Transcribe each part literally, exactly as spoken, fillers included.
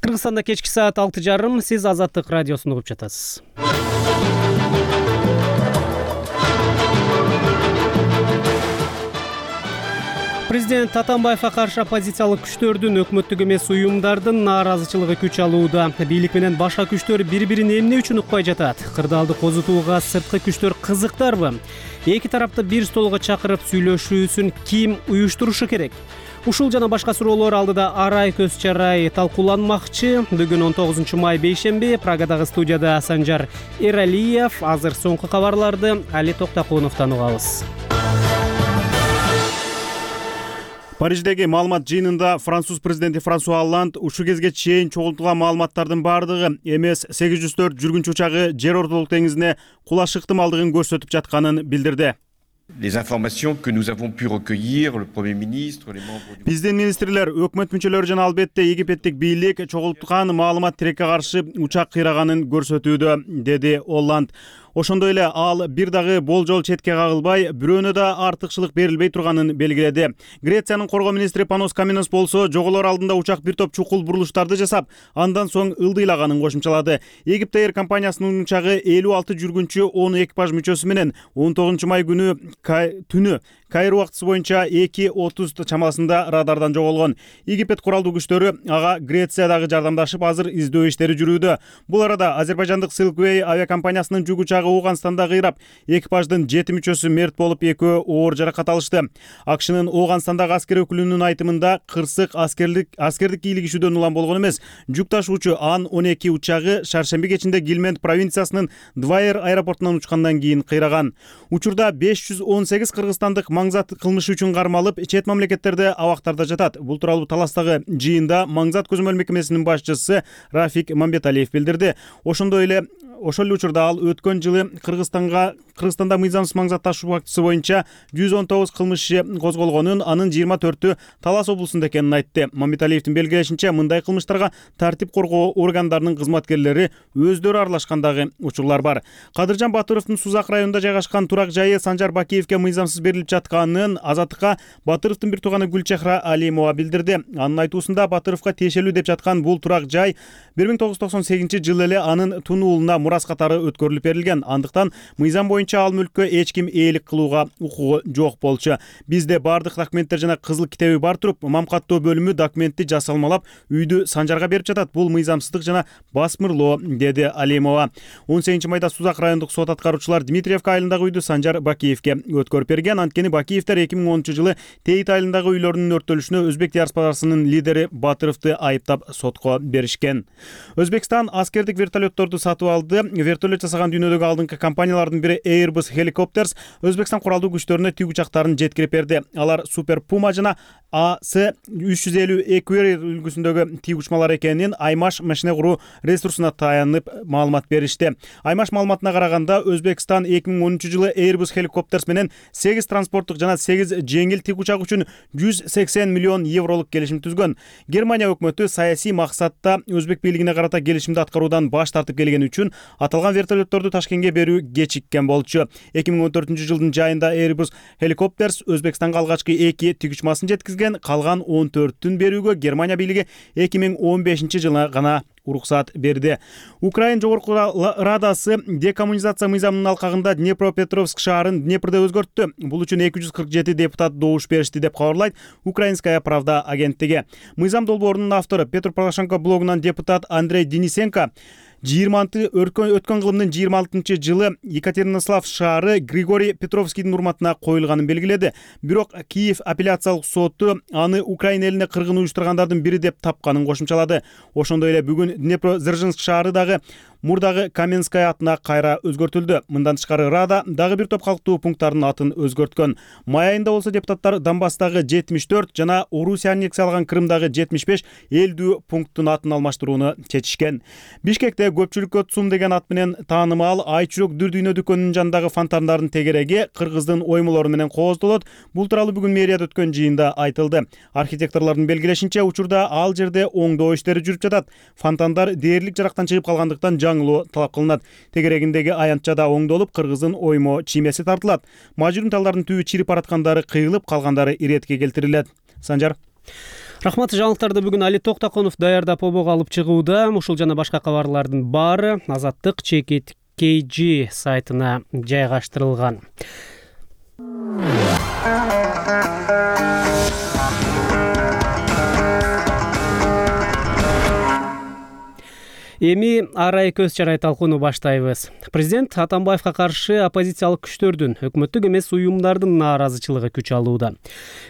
Кыргызстанда кечки саат алты жарым, сиз Азаттык радиосун угуп жатасыз. Президент Атамбаевга каршы оппозициялык күчтөрдүн, өкмөттүк эмес уюмдардын нааразычылыгы күч алууда. Бийлик менен башка күчтөр бири-бирин эмне үчүн укпай жатат? Кырдаалды козутууга сырткы күчтөр кызыктарбы? Эки тарапты бир столго чакырып сүйлөшүүсүн ким уюштурушу керек? Ушул жана башка суроолор алдыда арай көз чарай талкууланмакчы. Бүгүн он тогузунчу май бейшемби, Прагадагы студияда Санжар Эралиев. Азыр соңку кабарларды Али Токтокуновдон угабыз. Париждеги маалымат жыйынында француз президенти Франсуа Олланд ушул кезге чейин чогултулган маалыматтардын баардыгы эм эс сегиз жүз төрт жүргүнчү учагы жер ортолук деңизине кулаш ыктымалдыгын көрсөтүп жатканын билдирди. Les informations que nous avons pu recueillir, le Premier ministre, les membres du... Биздин министрлер, өкмөт мүчөлөрү жана албетте египеттик бийлик чогулткан маалымат тирекке каршы учак кыйраганын көрсөтүүдө, деди Олланд. Ошондой эле ал бир дагы болжол четке кагылбай, бирөөнө да артыкчылык берилбей турганын белгиледи. Грециянын коргоо министри Панос Каменос болсо, жоголор алдында учак бир топ чукул бурулуштарды жасап, андан соң ылдыйлаганын кошумчалады. Египет Эйр компаниясынын учагы элүү алты жүргүнчү, он экипаж мүчөсү менен он тогузунчу май күнү түнү Кайр убактысы боюнча эки отуз чамасында радардан жоголгон. Египет куралдуу күчтөрү ага Грециядагы жардамдашып, азыр издөө иштери жүрүүдө. Бул арада азербайжандык Silkway авиакомпаниясынын жүк учагы Ооганстанда кыйрап, экипаждын жети мүчөсү мерт болуп, экөө оор жаракат алышты. АКШнын Ооганстандагы аскер өкүлүнүн айтымында, кырсык аскерлик аскердик кийлигишүүдөн улам болгон эмес. Жүк ташуучу Ан он эки учагы шаршемби кечинде Гилмент провинциясынын Двайер аэропортунан учкандан кийин кыйраган. Учурда беш жүз он сегиз кыргызстандык маңзат кылмышы үчүн кармалып, чет мамлекеттерде абактарда жатат. Бул тууралуу Таластагы жыйында маңзат көзөмөл мекемесинин башчысы Рафик Мамбеталиев билдирди. Ошондой эле Ошол эле учурда ал өткөн жылы Кыргызстанга Кыргызстанда мыйзамсыз маңзат ташуу фактысы боюнча жүз он тогуз кылмыш козголгонун, анын жыйырма төртү Талас облусунда экенин айтты. Мамбеталиевдин белгилешинче, мындай кылмыштарга тартип коргоо органдарынын кызматкерлери өздөрү аралашкандагы учурлар бар. Кадыржан Батыровдун Сузак районунда жайгашкан турак жайы Санжар Бакиевке мыйзамсыз берилип жатканын Азаттыкка Батыровдун бир тууганы Гүлчехра Алимова билдирди. Анын айтуусунда, Батыровго тиешелүү деп жаткан бул турак жай бир миң тогуз жүз токсон сегизинчи жылы эле анын тунуулуна мурас катары өткөрүлүп берилген. Андыктан мыйзам боюнча ал мүлккө эч ким ээлик кылууга укугу жок болчу. Бизде бардык документтер жана кызыл китеби бар туруп, мамкаттоо бөлүмү документти жасалмалап үйдү Санжарга берип жатат. Бул мыйзамсыздык жана басмырлоо, деди Алимова. он сегизинчи майда Сузак райондук сот аткаруучулар Дмитриевка айылындагы үйдү Санжар Бакиевке өткөрүп берген. Анткени Бакиевдер эки миң онунчу жылы Тейит айылындагы үйлөрүнүн өрттөлүшүнө өзбек диаспорасынын лидери Батыровду айыптап сотко беришкен. Өзбекстан аскердик вертолетторду сатып алды. Вертолет жасаган дүйнөдөгү алдыңкы компаниялардын бири Airbus Helicopters Өзбекстан куралдуу күчтөрүнө тиг учактарын жеткирип берди. Алар Super Puma жана А С үч жүз элүү Equerry үлгүсүндөгү тиг учмалар экенин Аймаш машина куруу ресурсуна таянып маалымат беришти. Аймаш маалыматына караганда, Өзбекстан эки миң онунчу жылы Airbus Helicopters менен сегиз транспорттук жана сегиз жеңил тиг учак үчүн жүз сексен миллион евролук келишим түзгөн. Германия өкмөтү саясий максатта өзбек бийлигине карата келишимди аткаруудан баш тартып келгени үчүн аталган вертолетторду Ташкентке берүү кечиккен болчу. эки миң он төртүнчү жылдын жайында Airbus Helicopters Өзбекстанга алгачкы эки тиг учмасын жеткизген, калган он төртүн берүүгө Германия бийлиги эки миң он бешинчи жылы гана уруксат берди. Украин жогорку радасы декоммунизация мыйзамынын алкагында Днепропетровск шаарын Днепрде өзгөрттү. Бул үчүн эки жүз кырк жети депутат добуш беришти, деп кабарлайт Украинская правда агенттиги. Мыйзам долбоорунун автору Петр Порошенко блогунан депутат Андрей Денисенко жыйырманчы өткөн кылымдын жыйырма алтынчы жылы Екатеринослав шаары Григорий Петровскийдин урматына коюлганын белгиледи. Бирок Киев апелляциялык соту аны Украина элине кыргын уюштургандардын бири деп тапканын кошумчалады. Ошондой эле бүгүн Днепродзержинск шаары дагы мурдагы Каменская атына кайра өзгөртүлдү. Мындан тышкары Рада дагы бир топ калктуу пункттардын атын өзгөрткөн. Май айында болсо депутаттар Донбасстагы жетимиш төрт жана Орусия аннексияланган Крымдагы жетимиш беш элдүү пункттун атын алмаштырууну чечишкен. Бишкекте көпчүлүккө ЦУМ деген ат менен таанымал Айчүрөк дүр дүйнө дүкөнүнүн жанындагы фонтандардын тегереги кыргыздын оймолору менен кооздолот. Бул тууралуу бүгүн мэрияда өткөн жыйында айтылды. Архитекторлордун белгилешинче, учурда ал жерде оңдоо иштери жүрүп жатат. Фонтандар дээрлик жарактан чыгып калгандыктан жаңылоо талап кылынат. Тегерегиндеги аянтчада оңдолуп, кыргыздын оймо чиймеси тартылат. Мажурун талдардын түбү чирип бараткандары кыйылып, калгандары иретке келтирилет. Санжар. Рахмат. Жаңылыктарды бүгүн Али Токтоконов даярдап обого алып чыгууда. Ушул жана башка кабарлардын баары Азаттык чекит кей джи сайтына жайгаштырылган. Эми арай көз чарай талкууну баштайбыз. Президент Атамбаевка каршы оппозициялык күчтөрдүн, өкмөттүк эмес уюмдардын нааразычылыгы күч алууда.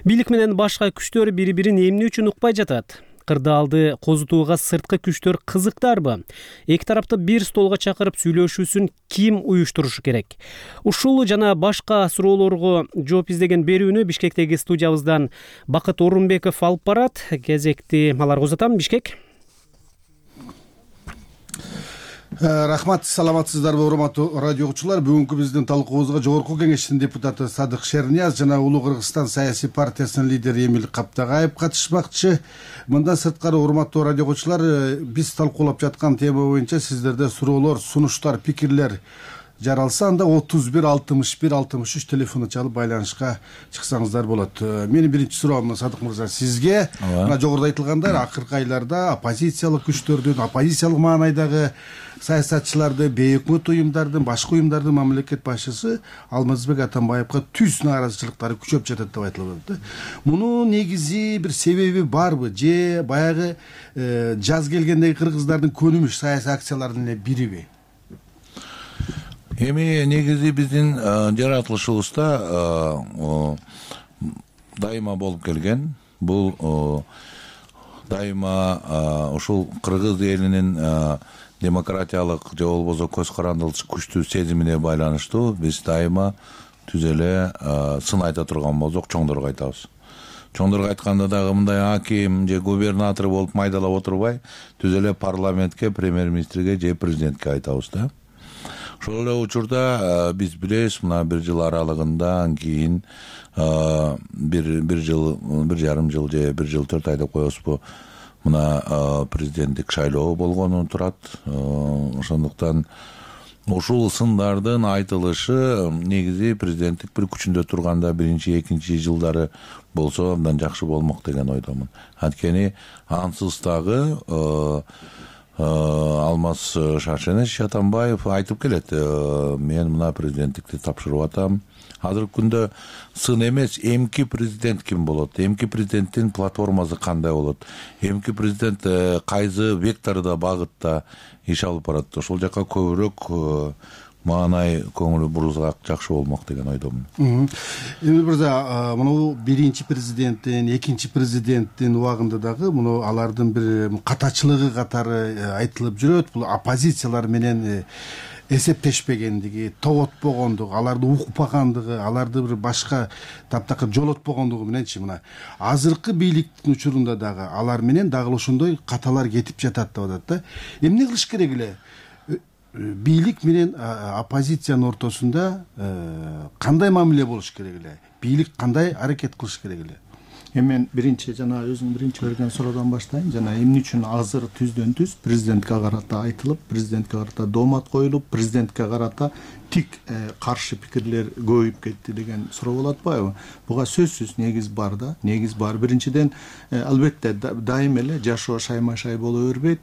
Бийлик менен башка күчтөр бири-бирин эмне үчүн укпай жатат? Кырдаалды козутууга сырткы күчтөр кызыктарбы? Эки тарапты бир столго чакырып сүйлөшүүсүн ким уюштурушу керек? Ушул жана башка суроолорго жооп издеген берүүнү Бишкектеги студиябыздан Бакыт Орунбеков алып барат. Кезекти аларга узатам. Бишкек. Рахмат, саламатсыздарбы урматтуу радио угуучулар. Бүгүнкү биздин талкуубузга Жогорку Кеңештин депутаты Садык Шернияз жана Улуу Кыргызстан саясий партиясынын лидери Эмил Каптагаев катышмакчы. Мындан сырткары урматтуу радио угуучулар, биз талкуулап жаткан тема боюнча сиздерде суроолор, сунуштар, пикирлер жаралса, анда отуз бир алтымыш бир алтымыш үч телефону чалып байланышка чыксаңыздар болот. Менин биринчи суроом Садык мырза сизге. Мына жогоруда айтылгандай, акыркы айларда оппозициялык күчтөрдүн, оппозициялык маанайдагы саясатчыларды, бейөкмөт уюмдардын, башка уюмдардын мамлекет башчысы Алмазбек Атамбаевга түз нааразычылыктары күчөп жатат деп айтылып атат. Мунун негизи бир себеби барбы? Же баягы жаз келгендеги кыргыздардын көнүмүш саясий акцияларынын эле бириби? Эми негизи биздин жаратылышыбызда дайыма болуп келген. Бул дайыма ушул кыргыз элинин демократиялык же болбосо көз карандылык күчтүү сезимине байланыштуу биз дайыма түз эле сын айта турган болсок чоңдорго айтабыз. Чоңдорго айтканда дагы мындай аким же губернатор болуп майдалап отурбай, түз эле парламентке, премьер-министрге же президентке айтабыз да. Ошол эле учурда биз билебиз, мына бир жыл аралыгында кийин бир бир жыл, бир жарым жыл же бир жыл төрт ай деп коебузбу, мына президенттик шайлоо болгону турат. Ошондуктан ушул сындардын айтылышы негизи президенттик бир күчүндө турганда биринчи, экинчи жылдары болсо абдан жакшы болмок деген ойдомун. Анткени ансыз дагы Алмаз Шаршенович Атамбаев айтып келет, мен мына президенттикти тапшырып атам. Азыркы күндө сын эмес, эмки президент ким болот, эмки президенттин платформасы кандай болот, эмки президент кайсы вектордо, багытта иш алып барат. Ошол жака көбүрөөк маанай көңүл бурузак жакшы болмок деген ойдомун. Эмил мырза, муну биринчи президенттин, экинчи президенттин убагында дагы муну алардын бир катачылыгы катары айтылып жүрөт. Бул оппозициялар менен эсептешпегендиги, тоотпогондугу, аларды укпагандыгы, аларды бир башка таптакыр жолотпогондугу мененчи мына азыркы бийликтин учурунда дагы алар менен дагы ошондой каталар кетип жатат деп атат да. Эмне кылыш керек эле? Бийлик менен оппозициянын ортосунда кандай мамиле болуш керек эле? Бийлик кандай аракет кылыш керек эле? Эми мен биринчи жана өзүң биринчи берген суроодон баштайын. Жана эмне үчүн азыр түздөн түз президентке карата айтылып, президентке карата доомат коюлуп, президентке карата тик каршы пикирлер көбөйүп кетти деген суроо болуп атпайбы? Буга сөзсүз негиз бар да. Негиз бар. Биринчиден, албетте дайым эле жашоо шайма-шай боло бербейт.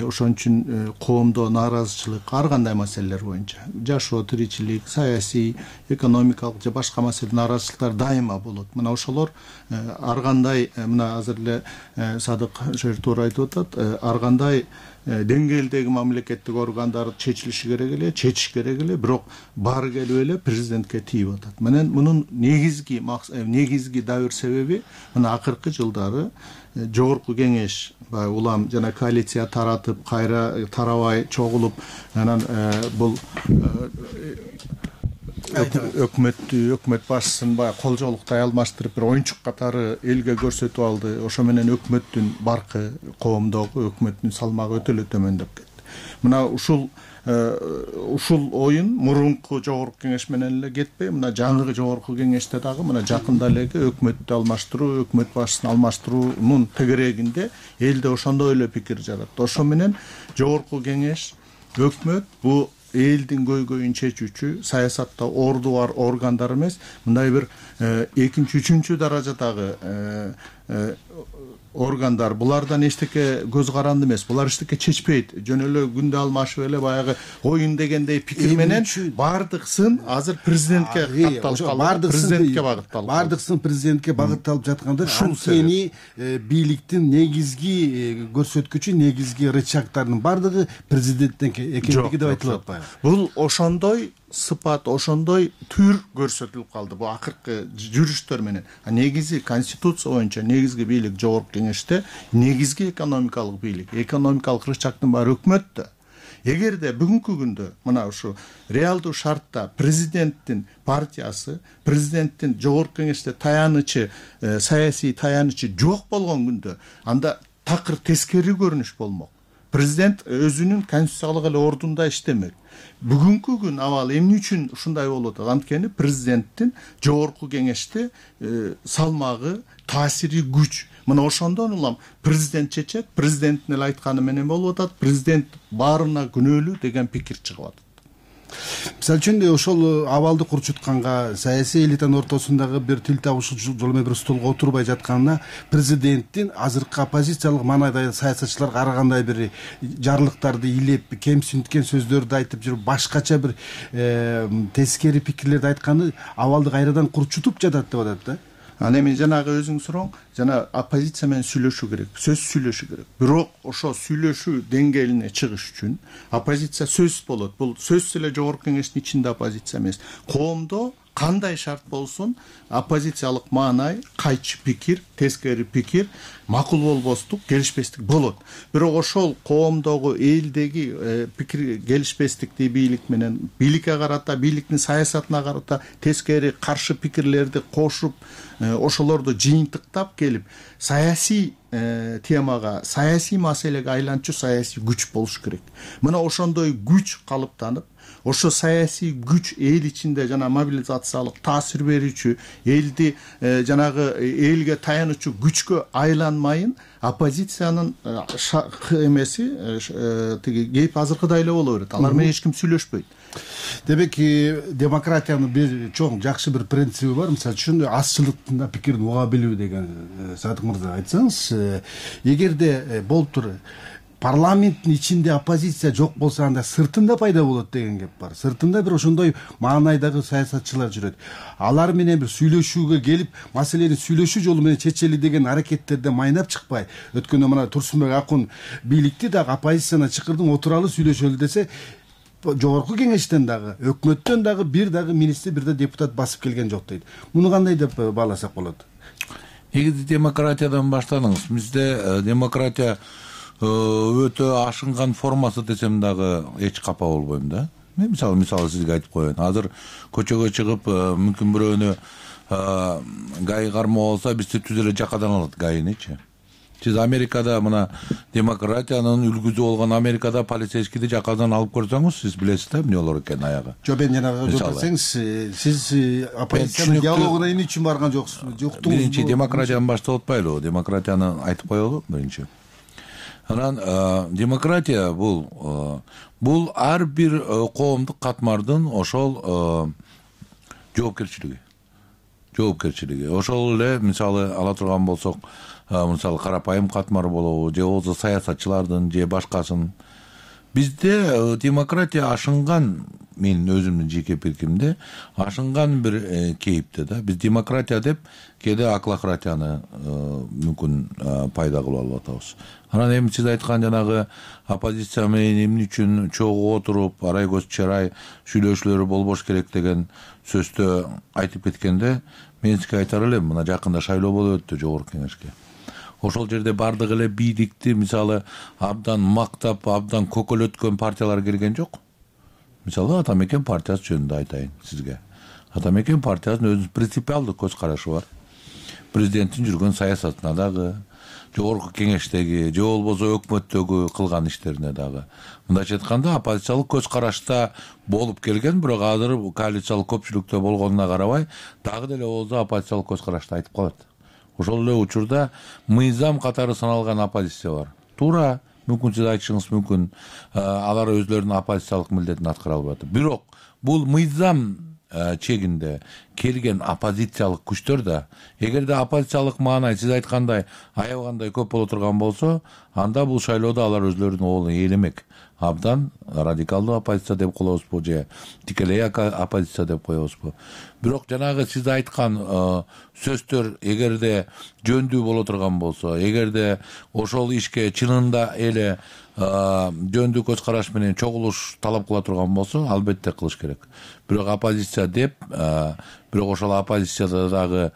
Ошон үчүн коомдо нааразычылык ар кандай маселелер боюнча, жашоо, тиричилик, саясий, экономикалык же башка маселе нааразычылыктар дайыма болот. Мына ошолор ар кандай, мына азыр эле Садык Шер туура айтып атат, ар кандай деңгээлдеги мамлекеттик органдар чечилиши керек эле, чечиш керек эле, бирок баары келип эле президентке тийип атат. Менен мунун негизги негизги дабыр себеби мына акыркы жылдары Жогорку Кеңеш баягы улам жана коалиция таратып, кайра тарабай чогулуп, анан бул өкмөттү, өкмөт башчысын баягы колжоолуктай алмаштырып бир оюнчук катары элге көрсөтүп алды. Ошо менен өкмөттүн баркы, коомдогу өкмөттүн салмагы өтө эле төмөндөп кетти. Мына ушул ушул оюн мурунку Жогорку Кеңеш менен эле кетпей, мына жаңы Жогорку Кеңеште дагы мына жакында элеги өкмөттү алмаштыруу, өкмөт башчысын алмаштыруунун тегерегинде элде ошондой эле пикир жаратты. Ошо менен Жогорку Кеңеш, өкмөт бу элдин көйгөйүн чечүүчү, саясатта орду бар органдар эмес, мындай бир экинчи, үчүнчү даражадагы органдар булардан эчтеке көз каранды эмес, булар эчтеке чечпейт. Жөн эле күндө алмашып эле баягы оюн дегендей пикир менен баардык сын азыр президентке катталып калды. Президентке багытталып. Баардык сын президентке багытталып жатканда ушул сени бийликтин негизги көрсөткүчү, негизги рычагдарынын бардыгы президенттен экендиги деп айтылып атпайбы? Бул ошондой сыпат, ошондой түр көрсөтүлүп калды бу акыркы жүрүштөр менен. Негизи конституция боюнча негизги бийлик жогорку кеңеште, негизги экономикалык бийлик, экономикалык рычагдын баары өкмөттө. Эгерде бүгүнкү күндө мына ушу реалдуу шартта президенттин партиясы, президенттин жогорку кеңеште таянычы, саясий таянычы жок болгон күндө, анда такыр тескери көрүнүш болмок. Президент өзүнүн конституциялык эле ордунда иштемек. Бүгүнкү күн абалы эмне үчүн ушундай болуп атат? Анткени президенттин жогорку кеңеште салмагы, таасири күч. Мына ошондон улам президент чечет, президенттин эле айтканы менен болуп атат, президент баарына күнөөлүү деген пикир чыгып атат. Мисалы үчүн ошол абалды курчутканга, саясий элитанын ортосундагы бир тил табышуу жол менен бир столго отурбай жатканына президенттин азыркы оппозициялык маанайдагы саясатчылар карагандай бир жарлыктарды илеп, кемсинткен сөздөрдү айтып жүрүп, башкача бир тескери пикирлерди айтканы абалды кайрадан курчутуп жатат деп атат да. Ана эми жанагы өзүң сурооң, жана оппозиция менен сүйлөшүү керек, сөз сүйлөшүү керек. Бирок ошо сүйлөшүү деңгээлине чыгыш үчүн оппозиция сөз болот. Бул сөз эле жогорку кеңештин ичинде оппозиция эмес. Коомдо кандай шарт болсун, оппозициялык маанай, кайчы пикир, тескери пикир, макул болбостук, келишпестик болот. Бирок ошол коомдогу, элдеги пикир келишпестикти бийлик менен, бийликке карата, бийликтин саясатына карата тескери каршы пикирлерди кошуп, ошолорду жыйынтыктап келип, саясий темага, саясий маселеге айланчу саясий күч болуш керек. Мына ошондой күч калыптанып, ошо саясий күч эл ичинде жана мобилизациялык таасир берүүчү, элди жанагы элге таянуучу күчкө айланмайын, оппозициянын эмеси тиги кеп азыркыдай эле боло берет. Алар менен эч ким сүйлөшпөйт. Демек, демократиянын бир чоң жакшы бир принциби бар. Мисалы үчүн азчылыктын да пикирин уга билүү деген Садык мырза айтсаңыз, эгерде болуптур парламенттин ичинде оппозиция жок болсо, анда сыртында пайда болот деген кеп бар. Сыртында бир ошондой маанайдагы саясатчылар жүрөт. Алар менен бир сүйлөшүүгө келип, маселени сүйлөшүү жолу менен чечели деген аракеттерде майнап чыкпай, өткөндө мына Турсунбек Акун бийликти дагы оппозицияны чакырдым, отуралы сүйлөшөлү десе, жогорку кеңештен дагы, өкмөттөн дагы бир дагы министр, бир да депутат басып келген жок дейт. Муну кандай деп бааласак болот? Негизи демократиядан баштадыңыз. Бизде демократия өтө ашынган формасы десем дагы эч капа болбойм да. Мен мисалы мисалы сизге айтып коеюн. Азыр көчөгө чыгып, мүмкүн бирөөнү гай кармоо болсо, бизди түз эле жакадан алат гайынычы. Сиз Америкада мына демократиянын үлгүсү болгон Америкада полицейскийди жакадан алып көрсөңүз, сиз билесиз да эмне болор экенин аягы. Жок, мен жанагы көрсөңүз, сиз оппозициянын диалогуна эмне үчүн барган жоксуз? Жоктуңуз. Биринчи демократияны баштап атпайлыбы? Демократияны айтып коелу биринчи. Анан демократия бул бул ар бир коомдук катмардын ошол жоопкерчилиги. Жоопкерчилиги. Ошол эле мисалы ала турган болсок, мисалы карапайым катмар болобу, же болбосо саясатчылардын, же башкасын. Бизде демократия ашынган, мен өзүмдүн жеке пикиримде, ашынган бир кейипте да. Биз демократия деп кээде аклократияны мүмкүн пайда кылып алып атабыз. Анан эми сиз айткан жанагы оппозиция менен эмне үчүн чогуу отуруп, арай көз чарай сүйлөшүүлөр болбош керек деген сөздө айтып кеткенде, мен сизге айтар элем, мына жакында шайлоо болуп өттү жогорку кеңешке. Ошол жерде бардык эле бийликти мисалы абдан мактап, абдан көкөлөткөн партиялар келген жок. Мисалы Атамекен партиясы жөнүндө айтайын сизге. Атамекен партиясынын өзүнүн принципиалдык көз карашы бар. Президенттин жүргөн саясатына дагы, жогорку кеңештеги, же болбосо өкмөттөгү кылган иштерине дагы. Мындайча айтканда, оппозициялык көз карашта болуп келген, бирок азыр коалициялык көпчүлүктө болгонуна карабай, дагы деле болсо оппозициялык көз карашта айтып калат. Ошол эле учурда мыйзам катары саналган оппозиция бар. Туура, мүмкүн сиз айтышыңыз мүмкүн, алар өзлөрүнүн оппозициялык милдетин аткара албай атат. Бирок бул мыйзам чегинде келген оппозициялык күчтөр да, эгерде оппозициялык маанай сиз айткандай аябагандай көп боло турган болсо, анда бул шайлоодо алар өзлөрүнүн оолун ээлемек. Абдан радикалдуу оппозиция деп коебузбу же тикелей оппозиция деп коебузбу. Бирок жанагы сиз айткан сөздөр эгерде жөндүү боло турган болсо, эгерде ошол ишке чынында эле жөндүү көз караш менен чогулуш талап кыла турган болсо, албетте кылыш керек. Бирок оппозиция деп, бирок ошол оппозицияда дагы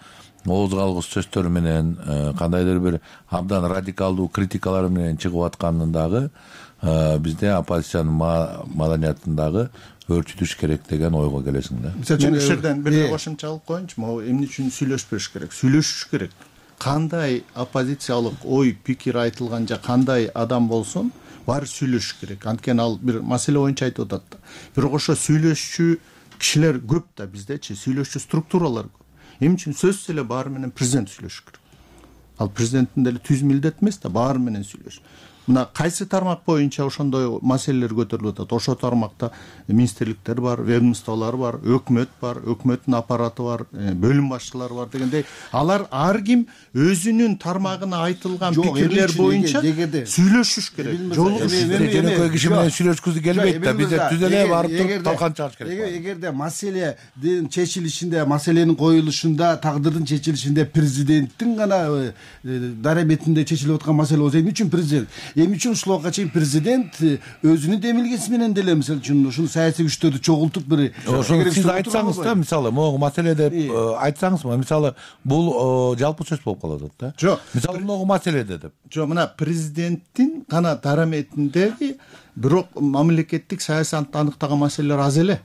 ооз калгыс сөздөр менен, кандайдыр бир абдан радикалдуу критикалар менен чыгып атканын дагы бизде оппозициянын маданиятын дагы өөрчүтүш керек деген ойго келесиң да. Мен ушул жерден бир кошумча алып коеюнчу. Могу эмне үчүн сүйлөшпөш керек? Сүйлөшүш керек. Кандай оппозициялык ой, пикир айтылган же кандай адам болсун, баары сүйлөшүш керек. Анткени ал бир маселе боюнча айтып атат да. Бирок ошо сүйлөшчү кишилер көп да биздечи, сүйлөшчү структуралар көп. Эмне үчүн сөзсүз эле баары менен президент сүйлөшүш керек. Ал президенттин деле түз милдет эмес да, баары менен сүйлөш. Мына кайсы тармак боюнча ошондой маселелер көтөрүлүп атат? Ошо тармакта министрликтер бар, ведомстволор бар, өкмөт бар, өкмөттүн аппараты бар, бөлүм башчылары бар дегендей, алар ар ким өзүнүн тармагына айтылган пикирлер боюнча сүйлөшүш керек. Жөнөкөй киши менен сүйлөшкүзү келбейт да, бизде түз эле барып туруп талкан чыгыш керек. Эгерде маселенин чечилишинде, маселенин коюлушунда, тагдырдын чечилишинде президенттин гана дарабетинде чечилип аткан маселе болсо, эмне үчүн президент эмне үчүн ушулга чейин президент өзүнүн демилгеси менен деле мисалы үчүн ушул саясий күчтөрдү чогултуп бир ошону сиз айтсаңыз да, мисалы могу маселе деп айтсаңызбы, мисалы бул жалпы сөз болуп калат да. Жок, мисалы могу маселеде деп. Жок, мына президенттин гана дараметиндеги бирок мамлекеттик саясатты аныктаган маселелер аз эле.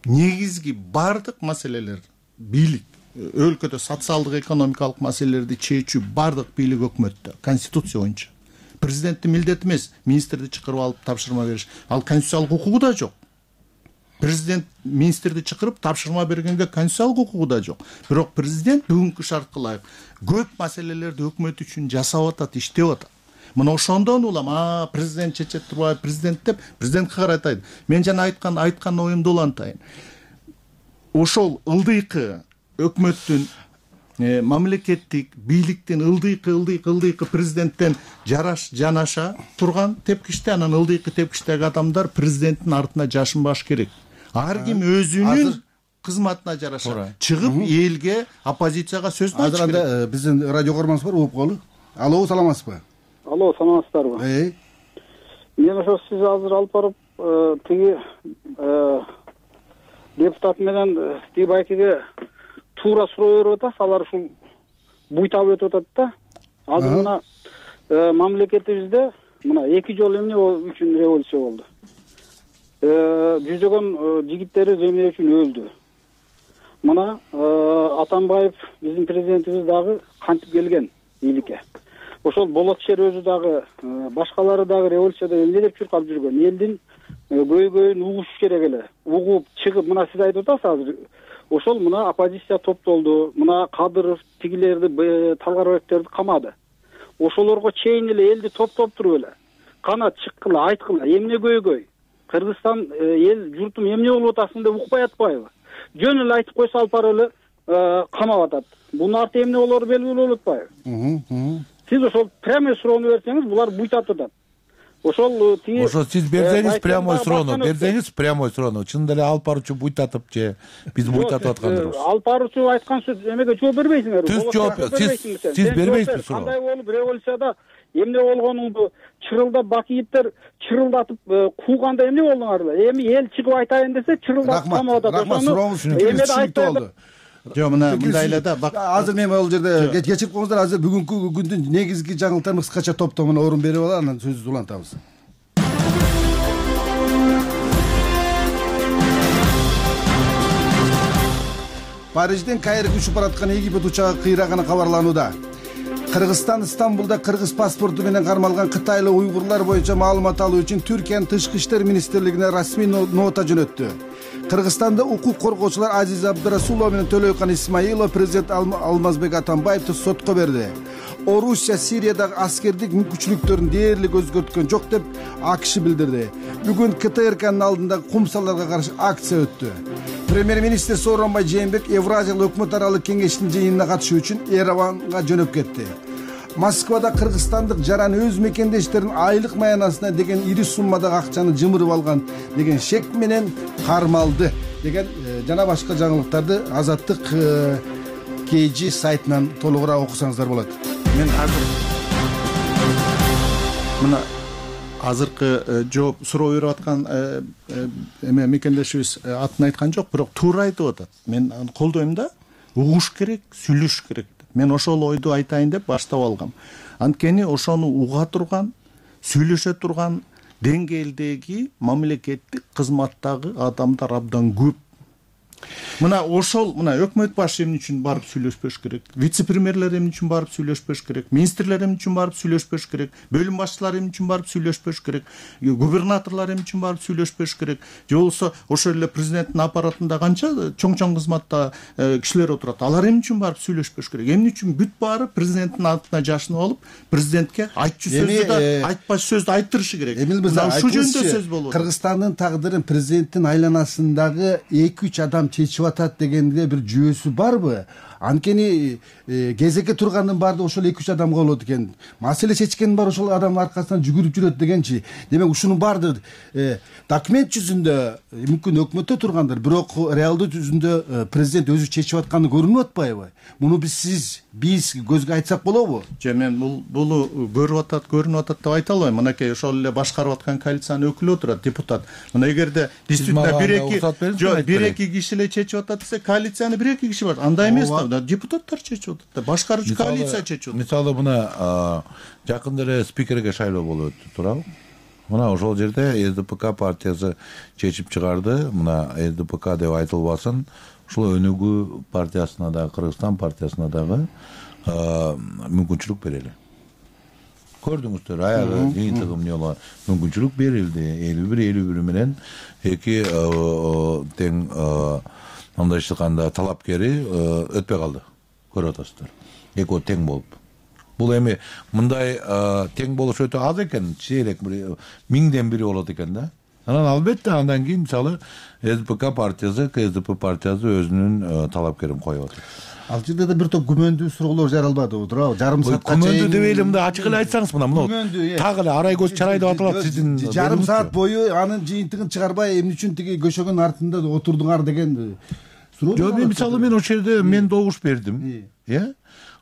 Негизги бардык маселелер бийлик, өлкөдө социалдык экономикалык маселелерди чечүү бардык бийлик өкмөттө, конституция боюнча. Президенттин милдети эмес министрди чакырып алып тапшырма бериш. Ал конституциялык укугу да жок. Президент министрди чакырып тапшырма бергенге конституциялык укугу да жок. Бирок президент бүгүнкү шартка ылайык көп маселелерди өкмөт үчүн жасап атат, иштеп атат. Мына ошондон улам, а президент чечет турбайбы, президент деп президентке каратайт. Мен жана айткан айткан оюмду улантайын. Ошол ылдыйкы өкмөттүн мамлекеттик бийликтин ылдыйкы ылдыйкы ылдыйкы президенттен жараш жанаша турган тепкичте, анан ылдыйкы тепкичтеги адамдар президенттин артына жашынбаш керек. Ар ким өзүнүн кызматына жараша чыгып элге, оппозицияга сөзүн айтыш керек. Азыр анда биздин радио көрмөңүз бар, угуп калы. Алло, саламатсызбы? Алло, саламатсыздарбы? Эй. Мен ошо сиз азыр алып барып, тиги депутат менен Тибайкеге туура суроо берип атасыз, алар ушул буйтап өтүп атат да. Азыр мына мамлекетибизде мына эки жолу эмне үчүн революция болду. Жүзөгөн жигиттерибиз эмне үчүн өлдү. Мына Атамбаев биздин президентибиз дагы кантип келген бийликке. Ошол Болотшер өзү дагы, башкалары дагы революцияда эмне деп чуркап жүргөн. Элдин көйгөйүн угуш керек эле. Угуп чыгып, мына сиз айтып атасыз азыр. Ошол мына оппозиция топтолду. Мына Кадыров тигилерди, Талгарбектерди камады. Ошолорго чейин эле элди топтоп туруп эле кана чыккыла, айткыла, эмне көйгөй? Кыргызстан эл журтум эмне болуп атасың деп укпай атпайбы? Жөн эле айтып койсо алып барып эле камап атат. Бунун арты эмне болору белгилүү болуп атпайбы? Сиз ошол прямой суроону берсеңиз, булар буйтап атат. Ошол тиги Ошо сиз берсеңиз прямой суроону, берсеңиз прямой суроону. Чын деле алып баруучу буйтатып же биз буйтатып аткандырбыз. Алып баруучу айткан сөз эмеге жооп бербейсиңерби? Түз жооп, сиз сиз бербейсизби суроо? Кандай болуп революцияда эмне болгонуңду чырылдап бакиевтер чырылдатып кууганда эмне болдуңар эле? Эми эл чыгып айтайын десе чырылдатып камап атат. Ошону эмеде айтпайбы? Жок, мына мындай эле да. Азыр мен бул жерде кечирип коюңуздар, азыр бүгүнкү күндүн негизги жаңылыктарын кыскача топтомуна орун берип алалы, анан сөзүбүздү улантабыз. Парижден Каирге учуп бараткан Египет учагы кыйраганы кабарланууда. Кыргызстан Стамбулда кыргыз паспорту менен кармалган кытайлык уйгурлар боюнча маалымат алуу үчүн Түркиянын тышкы иштер министрлигине расмий нота жөнөттү. Кыргызстанда укук коргоочулар Азиз Абдырасулов менен Төлөйкан Исмаилов президент Алмазбек Атамбаевди сотко берди. Орусия Сириядагы аскердик мүмкүнчүлүктөрүн дээрлик өзгөрткөн жок деп АКШ билдирди. Бүгүн КТРКнын алдында кумсаларга каршы акция өттү. Премьер-министр Сооронбай Жээнбеков Евразиялык өкмөт аралык кеңештин жыйынына катышуу үчүн Ереванга жөнөп кетти. Москвада кыргызстандык жаран өз мекендештерин айлык маянасына деген ири суммадагы акчаны жымырып алган деген шек менен кармалды деген жана башка жаңылыктарды Азаттык кей жи сайтынан толугураак окусаңыздар болот. Мен азыр мына азыркы жооп суроо берип аткан эме мекендешибиз атын айткан жок, бирок туура айтып атат. Мен аны колдойм да, угуш керек, сүйлөшүш керек. Мен ошол ойду айтайын деп баштап алгам. Анткени ошону уга турган, сүйлөшө турган деңгээлдеги мамлекеттик кызматтагы адамдар абдан көп. Мына ошол мына өкмөт башы эмне үчүн барып сүйлөшпөш керек, вице-премьерлер эмне үчүн барып сүйлөшпөш керек, министрлер эмне үчүн барып сүйлөшпөш керек, бөлүм башчылары эмне үчүн барып сүйлөшпөш керек, губернаторлор эмне үчүн барып сүйлөшпөш керек, же болбосо ошол эле президенттин аппаратында канча чоң-чоң кызматта кишилер отурат, алар эмне үчүн барып сүйлөшпөш керек, эмне үчүн бүт баары президенттин атына жашынып алып, президентке айтчу сөздү да айтпач сөздү айттырышы керек. Эмил мырза, ушул жөнүндө сөз болот. Кыргызстандын тагдырын президенттин айланасындагы эки үч адам чечип атат дегенде бир жүйөсү барбы? Анткени кезекке тургандын баардыгы ошол эки үч адамга болот экен. Маселе чечкендин баары ошол адамдын аркасынан жүгүрүп жүрөт дегенчи. Демек ушунун баардыгы документ жүзүндө мүмкүн өкмөттө тургандыр, бирок реалдуу жүзүндө президент өзү чечип атканы көрүнүп атпайбы? Муну биз сиз биз көзгө айтсак болобу? Же мен бул буну көрүп атат, көрүнүп атат деп айта албайм. Мынакей ошол эле башкарып аткан коалициянын өкүлү отурат, депутат. Мына эгерде действительно бир эки жок бир эки киши эле чечип атат десе, коалицияны бир эки киши бар. Андай эмес да, депутаттар чечип атат да, башкаруучу коалиция чечип атат. Мисалы мына жакында эле спикерге шайлоо болуп өттү, туурабы? Мына ошол жерде Эс Ди Пи Ка партиясы чечип чыгарды. Мына Эс Ди Пи Ка деп айтылбасын, ушул Өнүгүү партиясына дагы, Кыргызстан партиясына дагы мүмкүнчүлүк берели. Көрдүңүздөр, аягы жыйынтыгы эмне болгон мүмкүнчүлүк берилди. элүү бир элүү бир менен эки тең мындайча айтканда талапкери өтпөй калды. Көрүп атасыздар. Экөө тең болуп. Бул эми мындай тең болуш өтө аз экен, чейлек миңден бири болот экен да. Анан албетте андан кийин мисалы Эс Ди Пи Ка партиясы, Ка Эс Ди Пи партиясы өзүнүн талапкерин коюп атат. Ал жерде да бир топ күмөндүү суроолор жаралбадыбы, туурабы? Жарым саатка чейин күмөндүү деп эле мындай ачык эле айтсаңыз, мына мына так эле арай көз чарай деп аталат сиздин. Жарым саат бою анын жыйынтыгын чыгарбай эмне үчүн тиги көшөгөнүн артында отурдуңар деген суроо. Жок, мен мисалы мен ошол жерде мен добуш бердим. Э?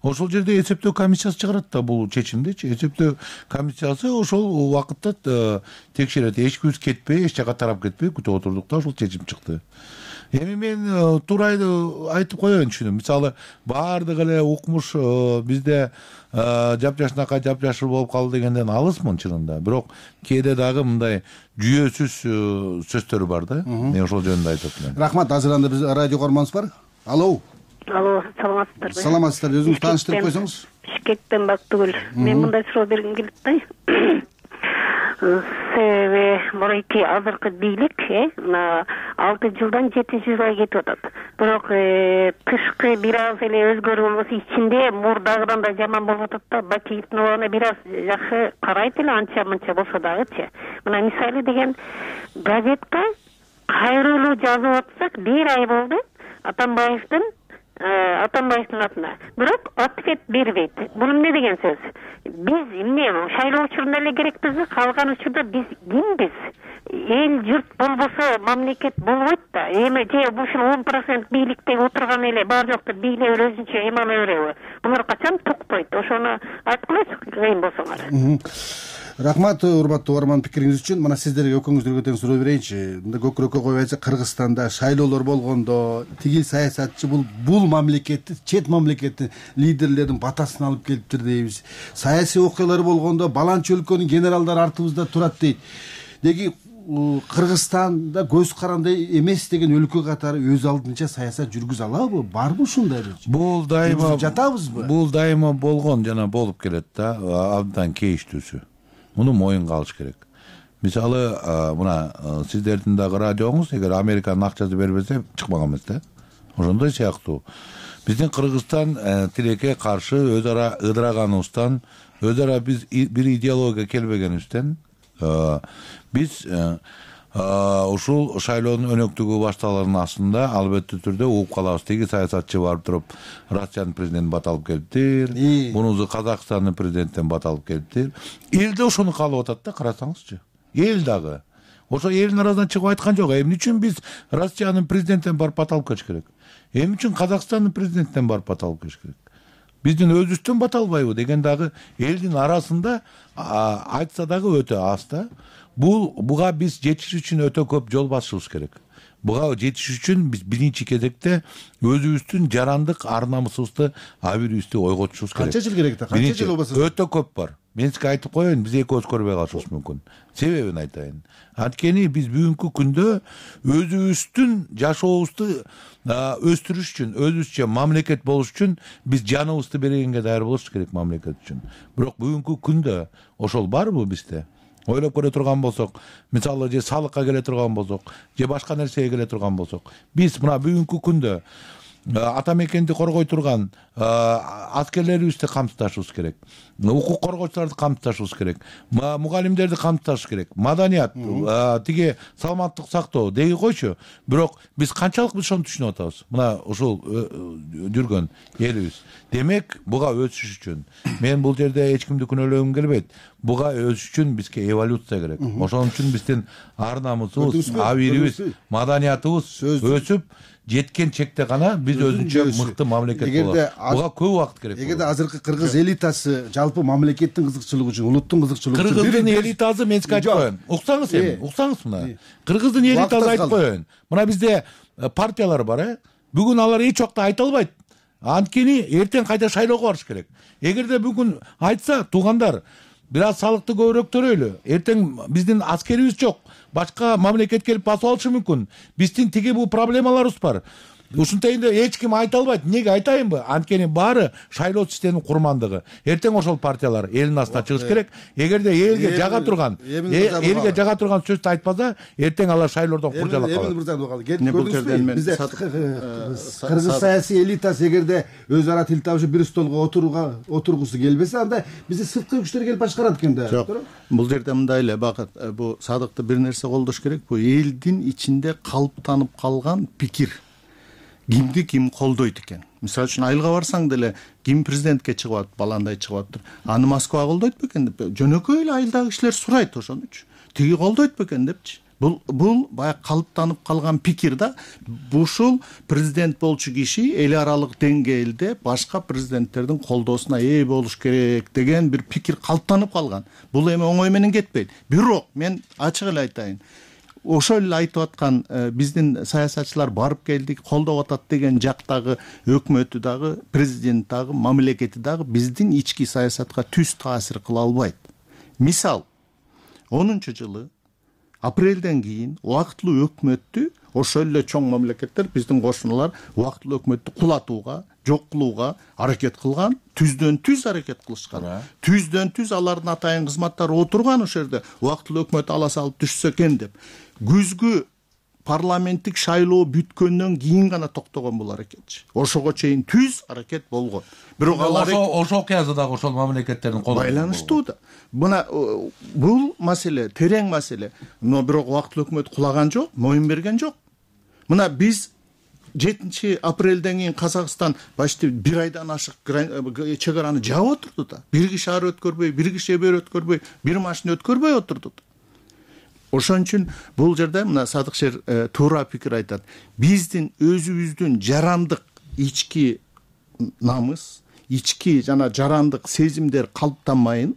Ошол жерде эсептөө комиссиясы чыгарат да бул чечимдичи. Эсептөө комиссиясы ошол убакытта текшерет. Эч кимибиз кетпей, эч жака тарап кетпей күтүп отурдук да ошол чечим чыкты. Эми мен туура айтып коеюн түшүнүм. Мисалы баардыгы эле укмуш бизде жапжашнакай жапжашыл болуп калды дегенден алысмын чынында. Бирок кээде дагы мындай жүйөсүз сөздөр бар да. Мен ошол жөнүндө айтып атам. Рахмат. Азыр анда биз радио көрмөңүз бар. Алло. Алло, саламатсыздарбы? Саламатсыздар. Өзүңүз тааныштырып койсоңуз. Бишкектен Бактыгүл. Мен мындай суроо бергим келет да. Себеби мурайки азыркы бийлик мына алты жылдан жетинчи жылга кетип атат. Бирок тышкы бир аз эле өзгөрүү болбосо ичинде мурдагыдан да жаман болуп атат да. Бакиевдин убагында бир аз жакшы карайт эле, анча мынча болсо дагычы. Мына мисалы деген газетке кайрылуу жазып атсак бир ай болду Атамбаевдин Атамбаевдин атына. Бирок ответ бербейт. Бул эмне деген сөз? Биз эмне шайлоо учурунда эле керекпизби? Калган учурда биз кимбиз? Эл журт болбосо мамлекет болбойт да. Эми же ушул он процент бийликте отурган эле бар жокту бийлеп өзүнчө эме ала береби? Булар качан туктойт? Ошону айтып койсо кыйын болсоңар. Рахмат, урматтуу угарман, пикириңиз үчүн. Мына сиздерге экөөңүздөргө тең суроо берейинчи. Мында көкүрөккө коюп айтсак, Кыргызстанда шайлоолор болгондо тигил саясатчы бул бул мамлекетти, чет мамлекеттин лидерлердин батасын алып келиптир дейбиз. Саясий окуялар болгондо баланчы өлкөнүн генералдары артыбызда турат дейт. Деги Кыргызстанда көз карандай эмес деген өлкө катары өз алдынча саясат жүргүзө алабы? Барбы ушундай? Бул дайыма жатабызбы? Бул дайыма болгон жана болуп келет да, абдан кейиштүүсү. Муну моюнга алыш керек. Мисалы, мына сиздердин дагы радиоңуз эгер Американын акчасы бербесе чыкпаган эмес да. Ошондой сыяктуу. Биздин Кыргызстан тилекке каршы өз ара ыдыраганыбыздан, өз ара биз бир идеологияга келбегенибизден биз ушул шайлоонун өнөктүгү башталганын астында албетте түрдө угуп калабыз. Тиги саясатчы барып туруп Россиянын президентин бат алып келиптир, мунусу Казакстандын президентинен бат алып келиптир. Эл да ошону каалап атат да, карасаңызчы. Эл дагы ошо элдин арасынан чыгып айткан жок. Эмне үчүн биз Россиянын президентинен барып бат алып келиш керек? Эмне үчүн Казакстандын президентинен барып бат алып келиш керек? Биздин өзүбүздөн бат албайбы деген дагы элдин арасында айтса дагы өтө аз да. Бул буга биз жетиш үчүн өтө көп жол басышыбыз керек. Буга жетиш үчүн биз биринчи кезекте өзүбүздүн жарандык ар намысыбызды, абийибизди ойготушубуз керек. Канча жыл керек да? Канча жыл болбосо? Өтө көп бар. Мен сизге айтып коеюн, биз экөөбүз көрбөй калышыбыз мүмкүн. Себебин айтайын. Анткени биз бүгүнкү күндө өзүбүздүн жашообузду өстүрүш үчүн, өзүбүзчө мамлекет болуш үчүн биз жаныбызды бергенге даяр болушубуз керек мамлекет үчүн. Бирок бүгүнкү күндө ошол барбы бизде? Ойлоп көрө турган болсок, мисалы же салыкка келе турган болсок, же башка нерсеге келе турган болсок, биз мына бүгүнкү күндө ата мекенди коргой турган аскерлерибизди камсыздашыбыз керек. Укук коргоочуларды камсыздашыбыз керек. Мугалимдерди камсыздашыбыз керек. Маданият, тиги саламаттык сактоо деги койчу. Бирок биз канчалык биз ошону түшүнүп атабыз? Мына ушул жүргөн элибиз. Демек, буга өсүш үчүн мен бул жерде эч кимди күнөөлөгүм келбейт. Буга өсүш үчүн бизге эволюция керек. Ошон үчүн биздин ар намысыбыз, абийибиз, маданиятыбыз өсүп жеткен чекте гана биз өзүнчө мыкты мамлекет болобуз. Буга көп убакыт керек. Эгерде азыркы кыргыз элитасы жалпы мамлекеттин кызыкчылыгы үчүн, улуттун кызыкчылыгы үчүн кыргыздын элитасы мен сизге айтып коеюн. Уксаңыз эми, уксаңыз мына. Кыргыздын элитасы айтып коеюн. Мына бизде партиялар бар, э? Бүгүн алар эч убакта айта албайт. Анткени эртең кайда шайлоого барыш керек. Эгерде бүгүн айтса, туугандар, бир аз салыкты көбүрөөк төлөйлү. Эртең биздин аскерибиз жок. Башка мамлекет келип басып алышы мүмкүн. Биздин тиги бул проблемаларыбыз бар. Ушунтайында эч ким айта албайт. Эмнеге айтайынбы? Анткени баары шайлоо системанын курмандыгы. Эртең ошол партиялар элдин астына чыгыш керек. Эгерде элге жага турган, элге жага турган сөздү айтпаса, эртең алар шайлоодон куржалап калат. Эмин мырза калды. Көрдүңүзбү? Бизде кыргыз саясий элитасы эгерде өз ара тил табышып бир столго отурууга отургусу келбесе, анда бизде сырткы күчтөр келип башкарат экен да. Жок. Бул жерде мындай эле Бакыт, бул Садыкты бир нерсе колдош керек. Бул элдин ичинде калыптанып калган пикир. Кимди ким колдойт экен. Мисалы үчүн айылга барсаң деле ким президентке чыгып атат, баландай чыгып атыптыр. Аны Москва колдойт бекен деп жөнөкөй эле айылдагы кишилер сурайт ошонучу. Тиги колдойт бекен депчи. Бул бул баягы калыптанып калган пикир да. Ушул президент болчу киши эл аралык деңгээлде башка президенттердин колдоосуна ээ болуш керек деген бир пикир калыптанып калган. Бул эми оңой менен кетпейт. Бирок мен ачык эле айтайын. Ошол эле айтып аткан биздин саясатчылар барып келдик, колдоп атат деген жактагы өкмөтү дагы, президент дагы, мамлекети дагы биздин ички саясатка түз таасир кыла албайт. Мисал, онунчу жылы апрелден кийин убактылуу өкмөттү ошол эле чоң мамлекеттер, биздин кошуналар убактылуу өкмөттү кулатууга, жок кылууга аракет кылган, түздөн түз аракет кылышкан. Түздөн түз алардын атайын кызматтары отурган ошол жерде убактылуу өкмөт ала салып түшсө экен деп. Күзгү парламенттик шайлоо бүткөндөн кийин гана токтогон бул аракетчи. Ошого чейин түз аракет болгон. Бирок алар ошол окуясы дагы ошол мамлекеттердин колунда байланыштуу да. Мына бул маселе терең маселе. Но бирок убактылуу өкмөт кулаган жок, моюн берген жок. Мына биз жетинчи апрелден кийин Казакстан почти бир айдан ашык чек араны жаап отурду да. Бир киши ары өткөрбөй, бир киши бери өткөрбөй, бир машина өткөрбөй отурду. Ошон үчүн бул жерде мына Садыкшер туура пикир айтат. Биздин өзүбүздүн жарандык ички намыс, ички жана жарандык сезимдер калыптанмайын,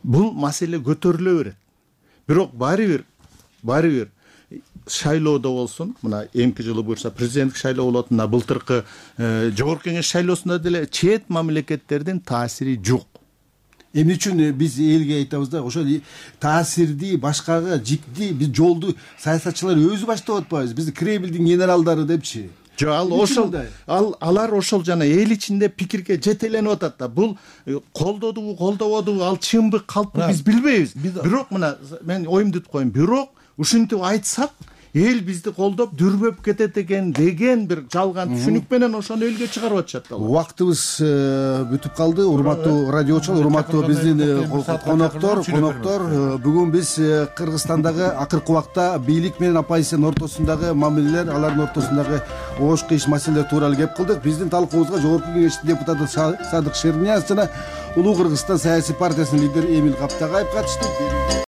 бул маселе көтөрүлө берет. Бирок баары бир, баары бир шайлоодо болсун, мына эмки жылы буюрса президенттик шайлоо болот, мына былтыркы жогорку кеңеш шайлоосунда деле чет мамлекеттердин таасири жок. Эмне үчүн биз элге айтабыз да, ошол таасирди башкага жикти биз жолду саясатчылар өзү баштап атпайбыз. Бизди Кремлдин генералдары депчи. Жок, ал ошол ал алар ошол жана эл ичинде пикирге жетеленип атат да. Бул колдодубу, колдободубу, ал чынбы, калппы биз билбейбиз. Бирок мына мен оюмду айтып коеюн. Бирок ушинтип айтсак, эл бизди колдоп дүрбөп кетет экен деген бир жалган түшүнүк менен ошону элге чыгарып атышат да. Убактыбыз бүтүп калды. Урматтуу радиочулар, урматтуу биздин коноктор, коноктор, бүгүн биз Кыргызстандагы акыркы убакта бийлик менен оппозициянын ортосундагы мамилелер, алардын ортосундагы оош кыйыш маселелер тууралуу кеп кылдык. Биздин талкуубузга Жогорку Кеңештин депутаты Садык Шернияз жана Улуу Кыргызстан саясий партиясынын лидери Эмиль Каптагаев катышты.